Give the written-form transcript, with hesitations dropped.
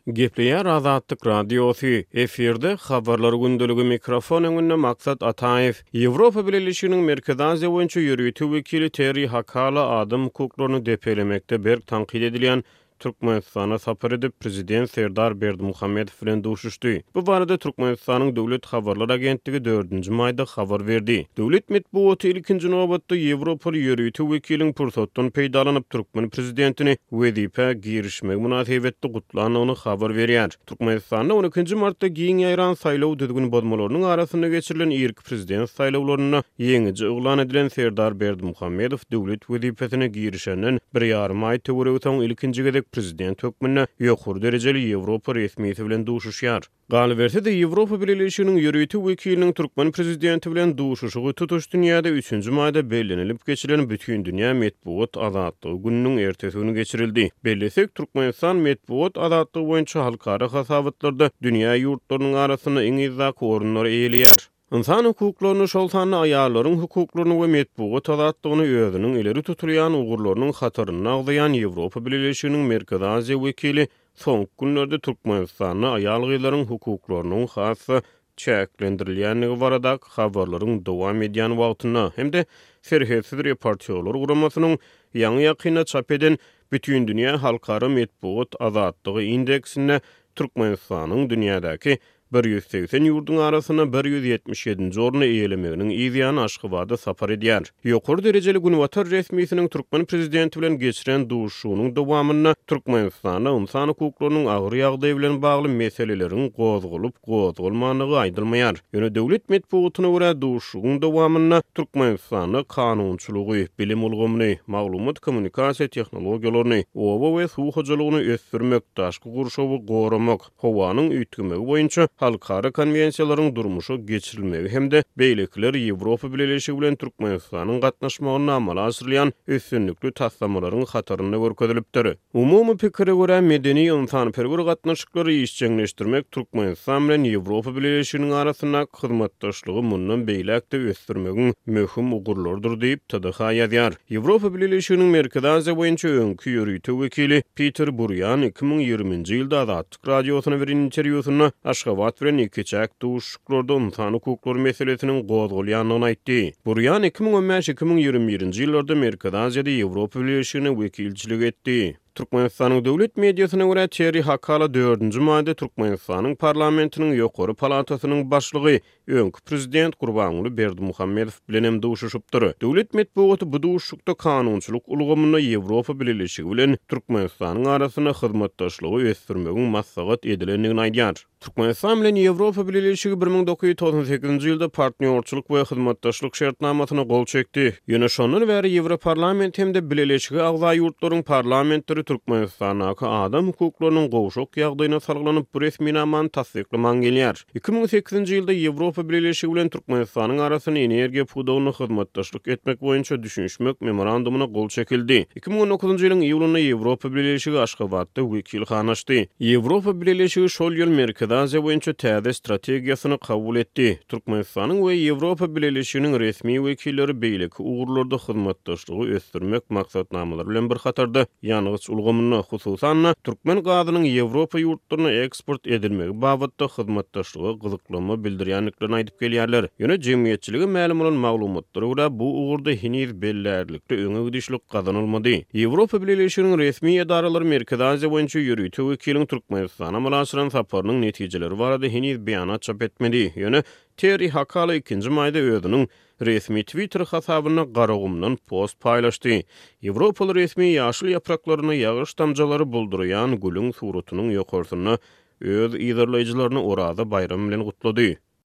Gepleýär Azatlyk Radiosy, efirde Habarlar gündeligi mikrofon öňünde Maksat Ataýew. Ýewropa Bileleşiginiň Merkezi Aziýa boýunça ýörite wekili Terri Hakala adam hukuklaryny depelemekde berk tankyt edilýän Türkmenistana sapar edip, prezident Serdar Berdimuhamedow bilen duşuşdy. Bu barada Türkmenistanyň Döwlet habarlar agentligi dördünji maýda habar berdi. Döwlet metbugaty ilkinji nobatda ýewropaly ýörite wekiliň pursatdan peýdalanyp, türkmen prezidentini wezipä girişmegi mynasybetli gutlandygyny habar berýär. Türkmenistanda on ikinji martda giň ýaýran saýlaw düzgün bozmalarynyň arasynda geçirilen irki prezident saýlawlarynda ýeňiji yglan edilen Serdar Berdimuhamedow döwlet wezipesine girişenden bir ýarym aý töweregi soň ilkinji gezek prezident hökmünde ýokary derejeli ýewropa resmisi bilen duşuşýar. Galyberse-de, Ýewropa Bileleşiginiň ýörite wekiliniň türkmen prezidenti bilen duşuşygy tutuş dünýäde üçünji maýda bellenilip geçilen Bütindünýä metbugat azatlygy gününiň ertesi güni geçirildi. Bellesek, Türkmenistan metbugat azatlygy boýunça halkara hasabatlarda dünýä ýurtlarynyň arasynda iň yzdaky orunlary eýeleýär. Ynsan hukuklaryny, şol sanda aýallaryň hukuklaryny we metbugat azatlygyny özüniň ileri tutulýan ugurlarynyň hatarynda agzaýan Ýewropa Bileleşiginiň Merkezi Aziýa wekili soňky günlerde Türkmenistanda aýal-gyzlaryň hukuklarynyň has-da çäklendirilýändigi baradaky habarlaryň dowam edýän wagtynda hem-de Serhetsiz reportýorlar guramasynyň ýaňy-ýakynda çap eden Bütindünýä halkara metbugat azatlygy indeksinde Türkmenistanyň dünýädäki 180 ýurduň arasynda 177-nji orny eýelemeginiň yz ýany Aşgabada sapar edýär. Ýokary derejeli günbatar resmisiniň türkmen prezidenti bilen geçiren duşuşygynyň dowamynda Türkmenistanda ynsan hukuklarynyň agyr ýagdaýy bilen bagly meseleleriň gozgalyp gozgalmandygy aýdylmaýar. Ýöne döwlet metbugatyna görä, duşuşygyň dowamynda Türkmenistanda kanunçylygy, bilim ulgamyny, maglumat-kommunikasiýa tehnologiýalaryny, oba we suw hojalygyny ösdürmek, daşky gurşawy goramak, howanyň üýtgemegi boýunça halkara konwensiýalaryň durmuşa geçirilmegi hem-de beýlekiler Ýewropa Bileleşigi bilen Türkmenistanyň gatnaşmagynda amala aşyrylýan üstünlikli taslamalaryň hatarynda görkezilipdir. Umumy pikire görä, medeni-ynsanperwer gatnaşyklary işjeňleşdirmek Türkmenistan bilen Ýewropa Bileleşiginiň arasyndaky hyzmatdaşlygy mundan beýläk-de ösdürmegiň möhüm ugurlarydyr diýip, TDH ýazýar. Ýewropa Bileleşiginiň Merkezi Aziýa boýunça öňki ýörite wekili Piter Burýan 2020-nji ýylda Azatlyk Radiosyna beren interwýusynda Aşgabat bilen ikiçäk duşuşyklarda ynsan hukuklary meselesiniň gozgalýandygyny aýtdy. Burýan 2015-2021-nji ýyllarda Merkezi Aziýada Ýewropa Bileleşigine wekilçilik etdi. Türkmenistanyň döwlet mediasyna görä, Terri Hakala dördünji maýda Türkmenistanyň parlamentiniň ýokary palatasynyň başlygy, öňki prezident Gurbanguly Berdimuhamedow bilen hem duşuşypdyr. Döwlet metbugaty bu duşuşykda kanunçylyk ulgamynda Ýewropa Bileleşigi bilen Türkmenistanyň arasynda hyzmatdaşlygy ösdürmegiň maslahat edilendigini aýdýar. Türkmenistan bilen Ýewropa Bileleşigi 1998-nji ýylda Partnýorçylyk we hyzmatdaşlyk şertnamasyna gol çekdi. Ýöne şondan bäri Ýewroparlament hem-de Bileleşige agza ýurtlaryň parlamentleri Türkmenistandaky adam hukuklarynyň gowşak ýagdaýyna salgylanyp bu resminamany tassyklaman gelýär. 2008-nji ýylda Ýewropa Bileleşigi bilen Türkmenistanyň arasynda energiýa pudagynda hyzmatdaşlyk etmek boýunça düşünişmek memorandumyna gol çekildi. 2019-njy ýylyň iýulynda Ýewropa Bileleşigi Aşgabatda wekilhana açdy. Ýewropa Bileleşigi şol ýyl Merkezi Aziýa boýunça täze strategiýasyny kabul etdi. Türkmenistanyň we Ýewropa Bileleşiginiň resmi wekilleri beýleki ugurlarda hyzmatdaşlygy ösdürmek maksatnamalary bilen bir hatarda, ýangyç ulgamynda, hususan-da, türkmen gazynyň Ýewropa ýurtlaryna eksport edilmegi babatda hyzmatdaşlyga gyzyklanma bildirýändiklerini aýdyp gelýärler. Ýöne jemgyýetçilige mälim bolan maglumatlara görä, bu ugurda heniz bellärlikli öňe gidişlik gazanylmady. Ýewropa Bileleşiginiň resmi edaralary Merkezi Aziýa boýunça ýörite wekiliň Türkmenistana amala aşyran saparynyň netijeleri barada heniz beýanat çap etmedi. Ýöne Terri Hakala ikinji maýda özüniň Resmi Twitter hasabynda Garagumdan post paýlaşdy. Ýewropaly resmi ýaşyl ýapraklarynda ýagyş damjalary bulduraýan gülüň suratynyň ýokarsynda öz yzarlaýjylaryny Oraza baýramy bilen gutlady.